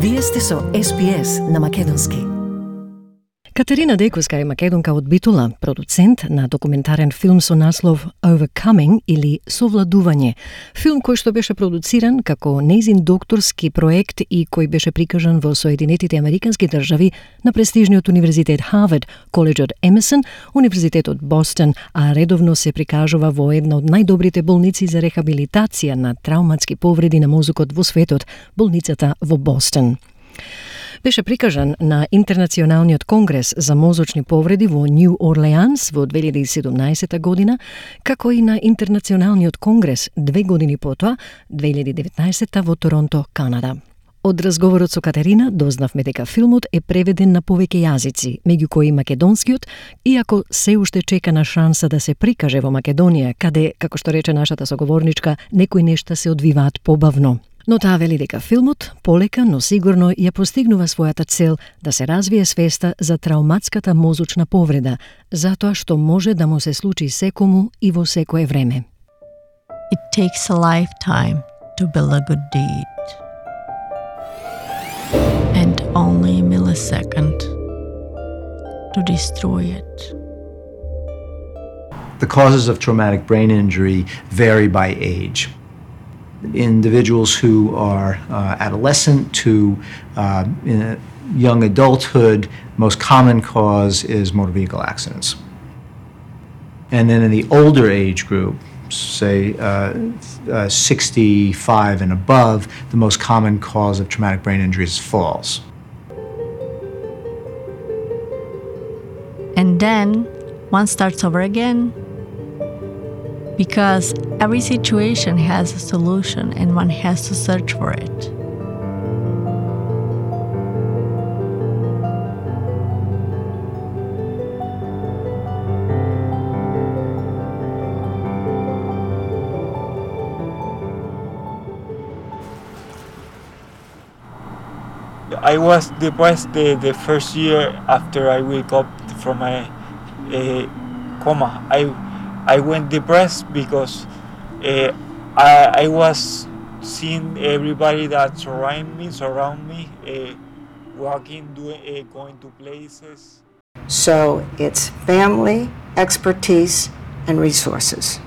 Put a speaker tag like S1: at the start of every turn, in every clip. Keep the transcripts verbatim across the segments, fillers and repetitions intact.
S1: Вие сте со Ес Би Ес на македонски.
S2: Катерина Декоска е македонка од Битола, продуцент на документарен филм со наслов Overcoming или Совладување. Филм кој што беше продуциран како нејзин докторски проект и кој беше прикажан во Соединетите Американски држави на престижниот универзитет Харвард, коледжот Емерсон, универзитетот Бостон, а редовно се прикажува во една од најдобрите болници за рехабилитација на травматски повреди на мозокот во светот, болницата во Бостон. Беше прикажан на Интернационалниот конгрес за мозочни повреди во Нью Орлеанс во две илјади и седумнаесета година, како и на Интернационалниот конгрес две години потоа, две илјади и деветнаесета во Торонто, Канада. Од разговорот со Катерина дознавме дека филмот е преведен на повеќе јазици, меѓу кои македонскиот, иако се уште чека на шанса да се прикаже во Македонија, каде, како што рече нашата соговорничка, некои нешта се одвиваат побавно. Но таа вели дека филмот полека, но сигурно ја постигнува својата цел да се развие свеста за травматската мозочна повреда, затоа што може да му се случи секому и во секое време.
S3: It takes a lifetime to build a good deed, and only a millisecond to destroy it.
S4: The causes of traumatic brain injury vary by age. Individuals who are uh, adolescent to uh, in young adulthood, most common cause is motor vehicle accidents. And then in the older age group, say uh, uh, sixty-five and above, the most common cause of traumatic brain injury is falls.
S3: And then one starts over again, because every situation has a solution and one has to search for it.
S5: I was depressed the, the first year after I wake up from my uh, coma. I I went depressed because uh, I, I was seeing everybody that surround me, surround me, uh, walking, doing, uh, going to places.
S6: So it's family, expertise, and resources.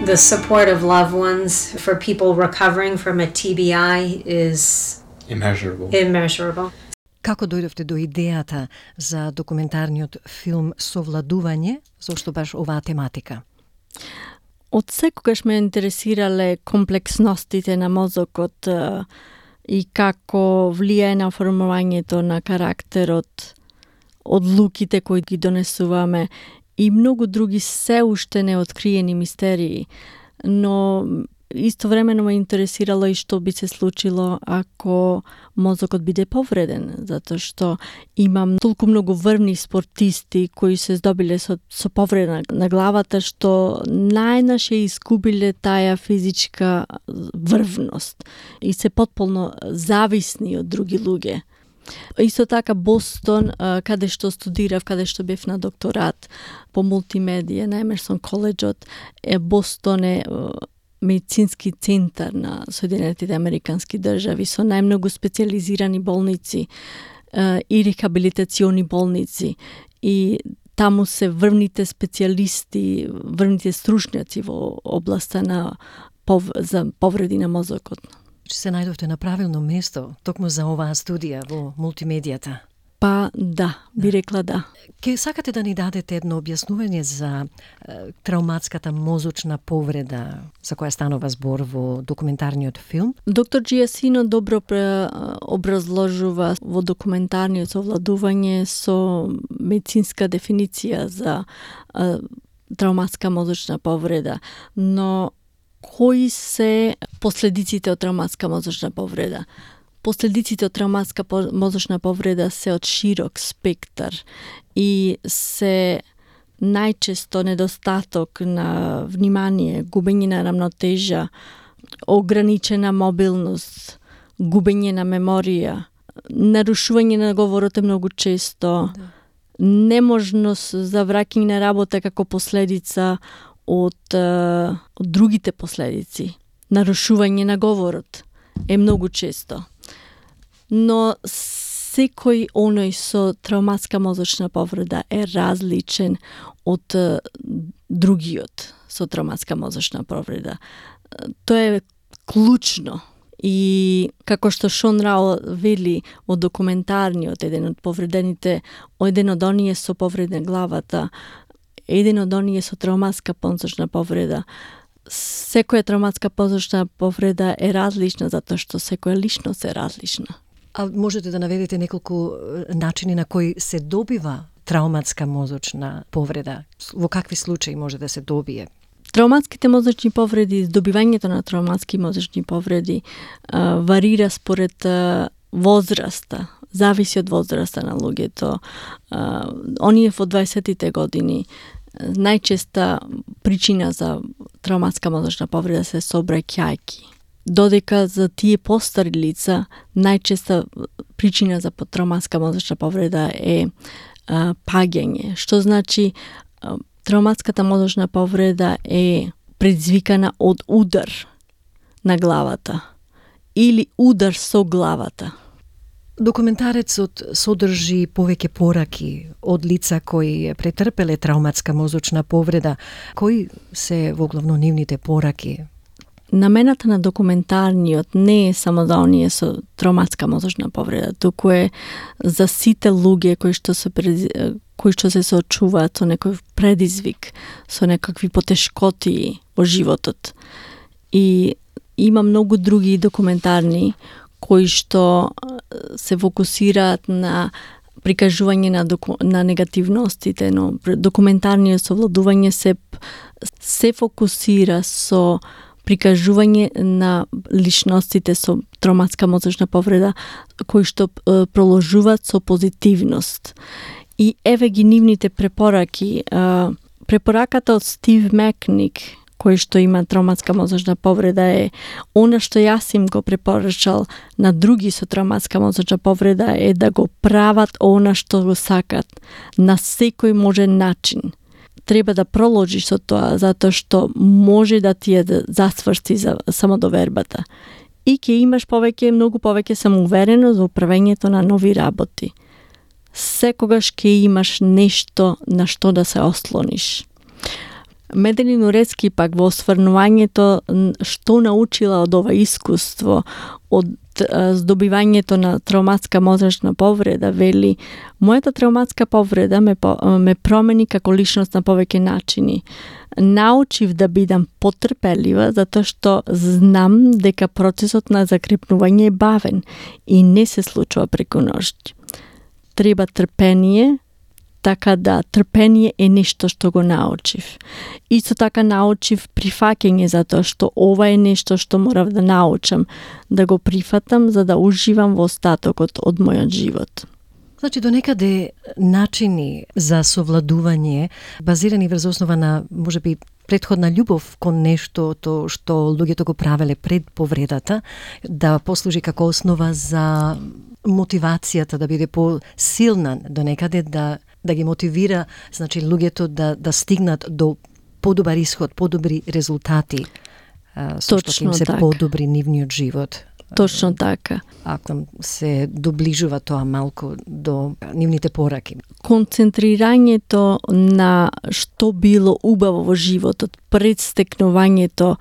S7: The support of loved ones for people recovering from a T B I is
S8: immeasurable.
S7: immeasurable.
S2: Како дојдовте до идејата за документарниот филм Совладување, зошто баш оваа тематика?
S3: Од секогаш ме интересирале комплексностите на мозокот и како влијае на формувањето на карактерот, одлуките кои ги донесуваме и многу други се уште неоткриени мистерии. Но истовремено ме интересирало и што би се случило ако мозокот биде повреден, затоа што имам толку многу врвни спортисти кои се здобиле со, со повреда на главата, што најнаше искубиле таа физичка врвност и се потполно зависни од други луѓе. Исто така Бостон, каде што студирав, каде што бев на докторат по мултимедија на Емерсон коледжот, е Бостон е медицински центар на Соединетите Американски држави со најмногу специализирани болници е, и рехабилитациони болници. И таму се врвните специјалисти, врвните стручњаци во областа на пов... за повреди на мозокот.
S2: Се најдовте на правилно место, токму за оваа студија во мултимедијата.
S3: Па да, би рекла да.
S2: Ке сакате да ни дадете едно објаснување за е, травматската мозочна повреда за која станува збор во документарниот филм?
S3: Доктор Джиасино добро образложува во документарниот Совладување со медицинска дефиниција за е, травматска мозочна повреда, но кои се последиците од травматска мозочна повреда? Последиците од травматска мозочна повреда се од широк спектар и се најчесто недостаток на внимание, губење на рамнотежа, ограничена мобилност, губење на меморија, нарушување на говорот е многу често, да. Неможност за враќање на работа како последица од, од другите последици, нарушување на говорот е многу често. но секој оној со травматска мозочна повреда е различен од е, другиот со травматска мозочна повреда. Тоа е клучно. И како што Шон Рао вели од документарниот, еден од повредените, еден од оние со повредна главата, еден од оние со травматска мозочна повреда. Секоја травматска мозочна повреда е различна затоа што секоја личност е различна.
S2: А можете да наведете неколку начини на кои се добива травматска мозочна повреда? Во какви случаи може да се добие?
S3: Травматските мозочни повреди, добивањето на травматски мозочни повреди а, варира според а, возраста, зависи од возраста на луѓето. А, оние во дваесеттите години најчеста причина за травматска мозочна повреда се сообраќајки. Додека за тие постари лица најчеста причина за травматска мозочна повреда е а, паѓање, што значи а, травматската мозочна повреда е предизвикана од удар на главата или удар со главата.
S2: Документарецот содржи повеќе пораки од лица кои претрпеле травматска мозочна повреда. Кои се воглавно нивните пораки?
S3: Намената на документарниот не е само за оние со травматска мозочна повреда, туку е за сите луѓе кои што се кои што се соочуваат со некој предизвик, со некакви потешкоти во животот. И има многу други документарни кои што се фокусираат на прикажување на, доку, на негативностите, но документарниот совладување се, се фокусира со прикажување на личностите со травматска мозочна повреда кои што е, проложуваат со позитивност. И еве ги нивните препораки. Препораката од Стив Мекник, кој што има травматска мозочна повреда, е она што јас им го препорачал на други со травматска мозочна повреда е да го прават она што го сакат на секој можен начин. Треба да проложиш со тоа, затоа што може да ти е да засврсти за самодовербата. И ќе имаш повеќе, многу повеќе самоувереност во правењето на нови работи. Секогаш ќе имаш нешто на што да се ослониш. Меделин Урецки пак во осврнувањето што научила од ова искуство, од здобивањето на травматска мозочна повреда, вели: мојата травматска повреда ме, ме промени како личност на повеќе начини. Научив да бидам потрпелива затоа што знам дека процесот на закрепнување е бавен и не се случува преку ноќ. Треба трпение, така да трпение е нешто што го научив. Исто така научив прифаќање затоа што ова е нешто што морав да научам, да го прифатам за да уживам во остатокот од мојот живот.
S2: Значи, до некаде начини за совладување базирани врз основа на, можеби, претходна љубов кон нештото што луѓето го правеле пред повредата, да послужи како основа за мотивацијата да биде по-силна до некаде, да да ги мотивира, значи, луѓето да да стигнат до подобар исход, подобри резултати, со што им се
S3: така.
S2: подобри нивниот живот.
S3: Точно така.
S2: Ако се доближува тоа малку до нивните пораки.
S3: Концентрирањето на што било убаво во животот пред стекнувањето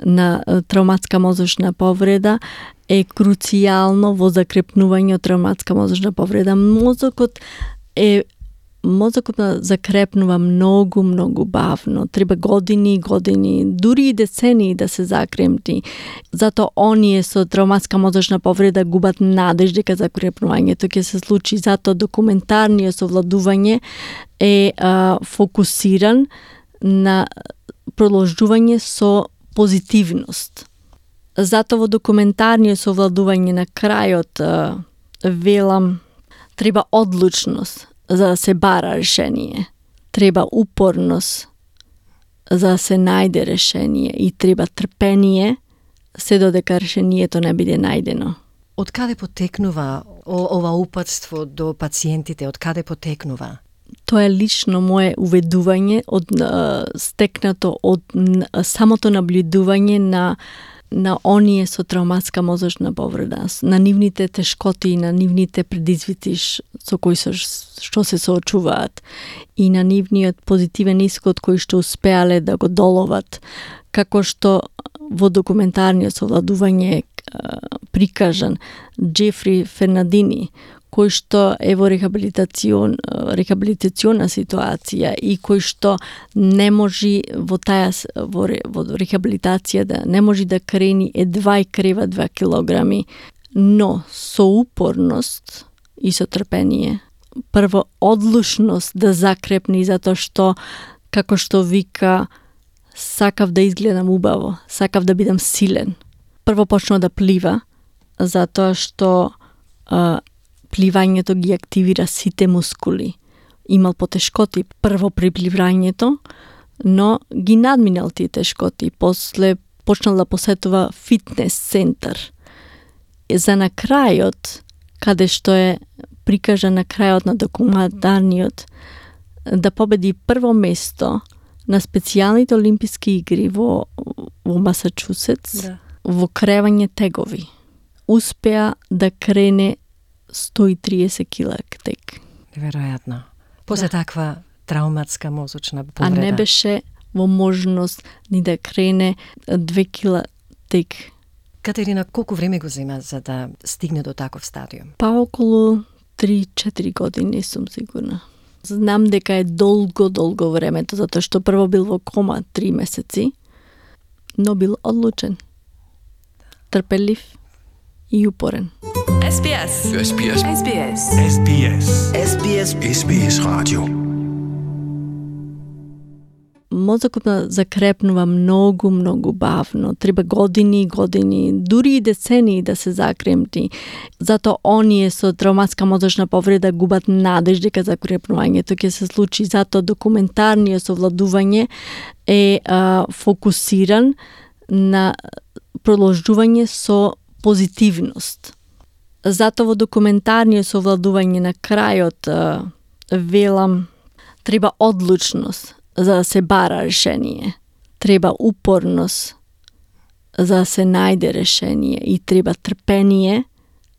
S3: на травматска мозочна повреда е круцијално во закрепнување од травматска мозочна повреда. Мозокот е Мозокот закрепнува многу, многу бавно. Треба години и години, дури и децении да се закрепни. Зато оние со травматска мозочна повреда губат надеж дека закрепнувањето ќе се случи. Зато документарниот совладување е а, фокусиран на продолжување со позитивност. Зато во документарниот совладување на крајот а, велам треба одлучност за да се бара решение. Треба упорност за да се најде решение и треба трпение се додека решението не биде најдено.
S2: Од каде потекнува ова упатство до пациентите? Од каде потекнува?
S3: Тоа е лично мое уведување од стекнато од самото наблюдување на на оние со травматска мозочна повреда, на нивните тешкоти и на нивните предизвици со кои со, што се соочуваат и на нивниот позитивен исход кој што успеале да го доловат, како што во документарниот совладување прикажан Джефри Фернандини, кој што е во рехабилитацион, рехабилитациона ситуација и кој што не може во таа во, во рехабилитација да не може да крени едва и крева два килограми, но со упорност и со трпение. Прво одлучност да закрепни затоа што како што вика сакав да изгледам убаво, сакав да бидам силен. Прво почнал да плива затоа што а, пливањето ги активира сите мускули. Имал потешкоти прво при пливањето, но ги надминал тие тешкоти. После почнал да посетува фитнес центар. За на крајот, каде што е прикажа на крајот на документарниот, да победи прво место на специјалните олимписки игри во, во Масачусетс, да. Во кревање тегови. Успеа да крене сто и триесет килак тек.
S2: Неверојатно. После да. Таква травматска мозочна повреда.
S3: А не беше во можност ни да крене две кила тек.
S2: Катерина, колку време го зема за да стигне до таков стадиум?
S3: Па околу три-четири години, не сум сигурна. Знам дека е долго, долго времето, затоа што прво бил во кома три месеци, но бил одлучен, трпелив и упорен.
S8: S B S.
S9: S B S.
S8: S B S.
S9: S B S.
S8: S B S.
S9: S B S Radio.
S3: Мозокот закрепнува многу, многу бавно. Треба години, години, дури и децении да се закрепни. Зато оние со травматска мозочна повреда губат надеж дека закрепнувањето ќе се случи. Зато документарниот совладување е а, фокусиран на продолжување со позитивност. Зато во документарниот совладување на крајот а, велам треба одлучност за да се бара решение. Треба упорност за да се најде решение и треба трпение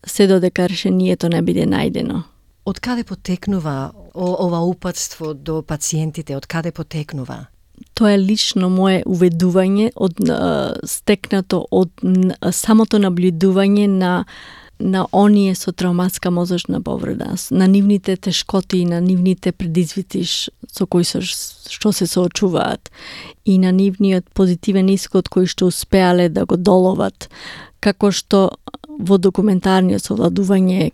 S3: се додека решението не биде најдено.
S2: Од каде потекнува ова упатство до пациентите? Од каде потекнува?
S3: Тоа е лично мое уведување од стекнато од самото наблюдување на на оние со травматска мозочна повреда, на нивните тешкоти и на нивните предизвици со кои со, што се соочуваат и на нивниот позитивен исход кој што успеале да го доловат, како што во документарниот совладување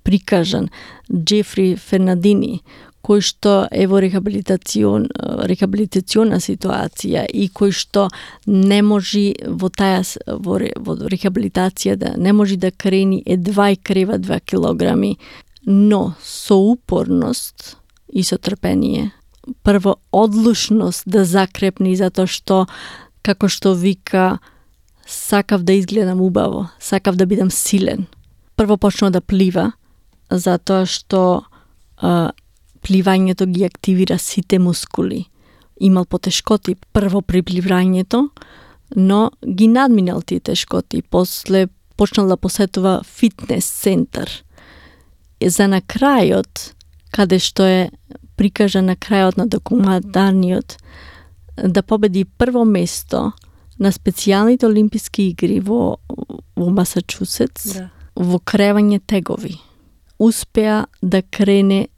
S3: прикажан Джефри Фернандини, кој што е во рехабилитацион, рехабилитациона ситуација и кој што не може во таа во, во рехабилитација да не може да крени едва и крева два килограми, но со упорност и со трпение. Прво одлучност да закрепни затоа што како што вика сакав да изгледам убаво, сакав да бидам силен. Прво почнал да плива затоа што а, пливањето ги активира сите мускули. Имал потешкоти прво при пливањето, но ги надминал тие тешкоти. После почнал да посетува фитнес центар. За на крајот, каде што е прикажа на крајот на документарниот, да победи прво место на специјалните олимписки игри во, во Масачусетс, да. Во кревање тегови. Успеа да крене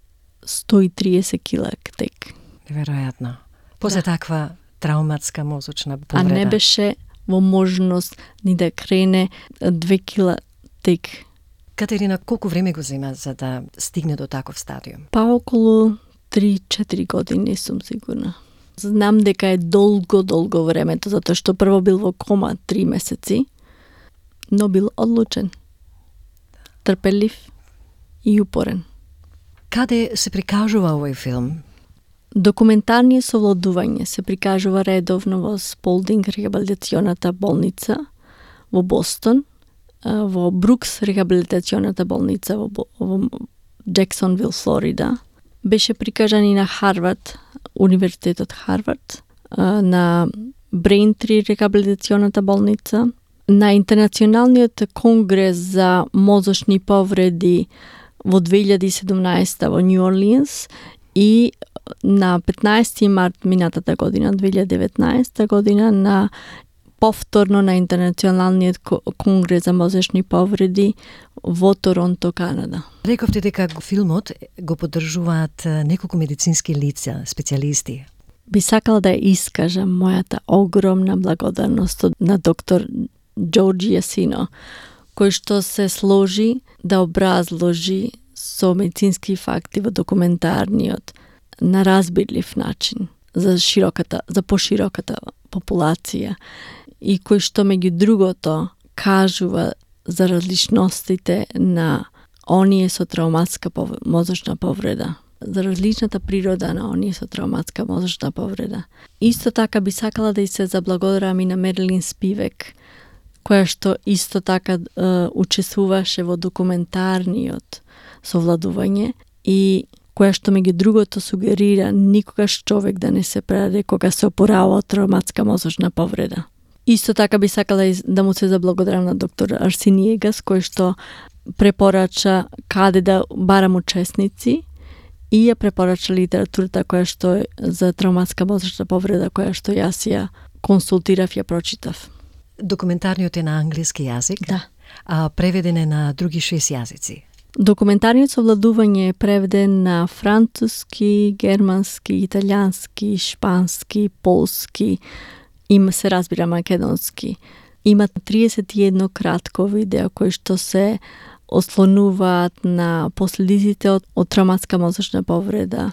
S3: сто и триесет килак тек.
S2: Неверојатно. После да. Таква травматска мозочна повреда.
S3: А не беше во можност ни да крене две кила тек.
S2: Катерина, колку време го зема за да стигне до таков стадиум?
S3: Па околу три-четири години, не сум сигурна. Знам дека е долго, долго времето, затоа што прво бил во кома три месеци, но бил одлучен, трпелив и упорен.
S2: Каде се прикажува овој филм?
S3: Документарниот совладување се прикажува редовно во Сполдинг рехабилитационата болница во Бостон, во Брукс рехабилитационата болница во, во Джексонвил, Флорида. Беше прикажан и на Харвард, Универзитетот Харвард, на Braintree рехабилитационата болница, на Интернационалниот конгрес за мозочни повреди во две илјади и седумнаесета во Нью Орлијанс и на петнаесети март минатата година, две илјади и деветнаесета година, на повторно на Интернационалниот конгрес за мозочни повреди во Торонто, Канада.
S2: Рековте дека филмот го поддржуваат неколку медицински лица, специјалисти.
S3: Би сакала да искажам мојата огромна благодарност на доктор Джордж Јасино, кој што се сложи да образложи со медицински факти во документарниот на разбирлив начин за широката, за пошироката популација и кој што меѓу другото кажува за различностите на оние со травматска пов... мозочна повреда, за различната природа на оние со травматска мозочна повреда. Исто така би сакала да и се заблагодарам и на Мерилин Спивек, која што исто така е, учествуваше во документарниот совладување и која што меѓу другото сугерира никогаш човек да не се предаде кога се опорава од травматска мозочна повреда. Исто така би сакала да му се заблагодарам на доктор Арсени Егас, кој што препорача каде да барам учесници и ја препорача литературата која што е за травматска мозочна повреда, која што јас ја консултирав, ја прочитав.
S2: Документарниот е на англиски јазик,
S3: Да.
S2: а преведен е на други шест јазици.
S3: Документарниот совладување е преведен на француски, германски, италијански, шпански, полски, има се разбира македонски. Има триесет и едно кратко видео кои што се ослонуваат на последиците од, од травматска мозочна повреда,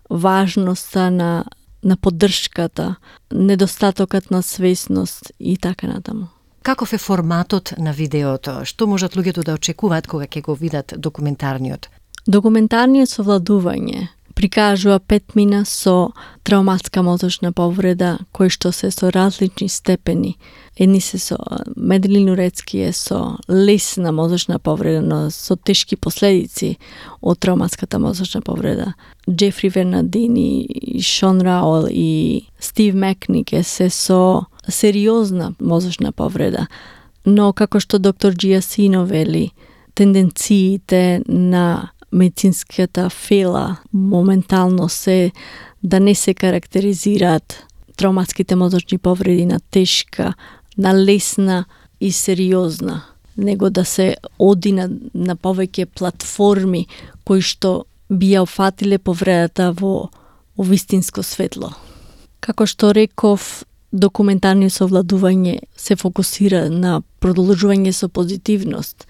S3: важноста на на поддршката, недостатокот на свесност и така натаму.
S2: Каков е форматот на видеото? Што можат луѓето да очекуваат кога ќе го видат документарниот?
S3: Документарниот совладување прикажува пет мина со травматска мозочна повреда, кои што се со различни степени. Едни се со Меделин Урецки е со лесна мозочна повреда, но со тешки последици од травматската мозочна повреда. Джефри Вернадини, Шон Раул и Стив Мекник се со сериозна мозочна повреда. Но како што доктор Джиасино вели, тенденциите на медицинската фела моментално се да не се карактеризираат травматските мозочни повреди на тешка, на лесна и сериозна, него да се оди на, на повеќе платформи кои што би ја офатиле повредата во, во вистинско светло. Како што реков, документарниот совладување се фокусира на продолжување со позитивност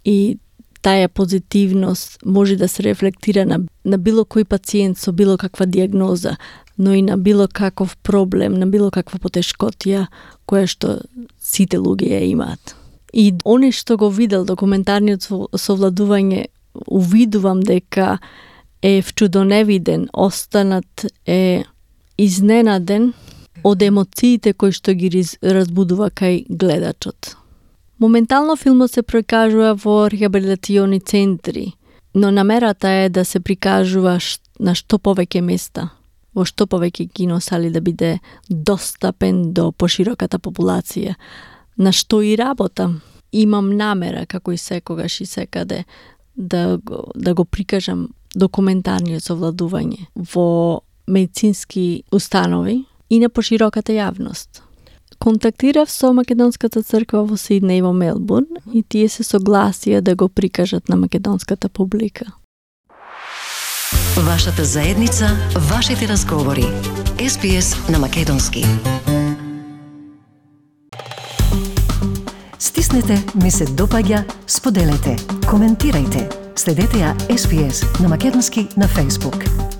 S3: и таа позитивност може да се рефлектира на, на било кој пациент со било каква диагноза, но и на било каков проблем, на било каква потешкотија која што сите луѓе ја имаат. И оне што го видел документарниот совладување, увидувам дека е вчудоневиден, останат е изненаден од емоциите кои што ги разбудува кај гледачот. Моментално филмот се прикажува во рехабилитациони центри, но намерата е да се прикажува на што повеќе места, во што повеќе киносали да биде достапен до пошироката популација, на што и работам. Имам намера, како и секогаш и секаде, да го, да го прикажам документарниот совладување во медицински установи и на пошироката јавност. Контактирав со Македонската црква во Сиднеј и во Мелбурн и тие се согласија да го прикажат на македонската публика.
S1: Вашата заедница, вашите разговори. Ес Би Ес на македонски. Стиснете, ми се допаѓа, споделете, коментирајте. Следете ја Ес Би Ес на македонски на Facebook.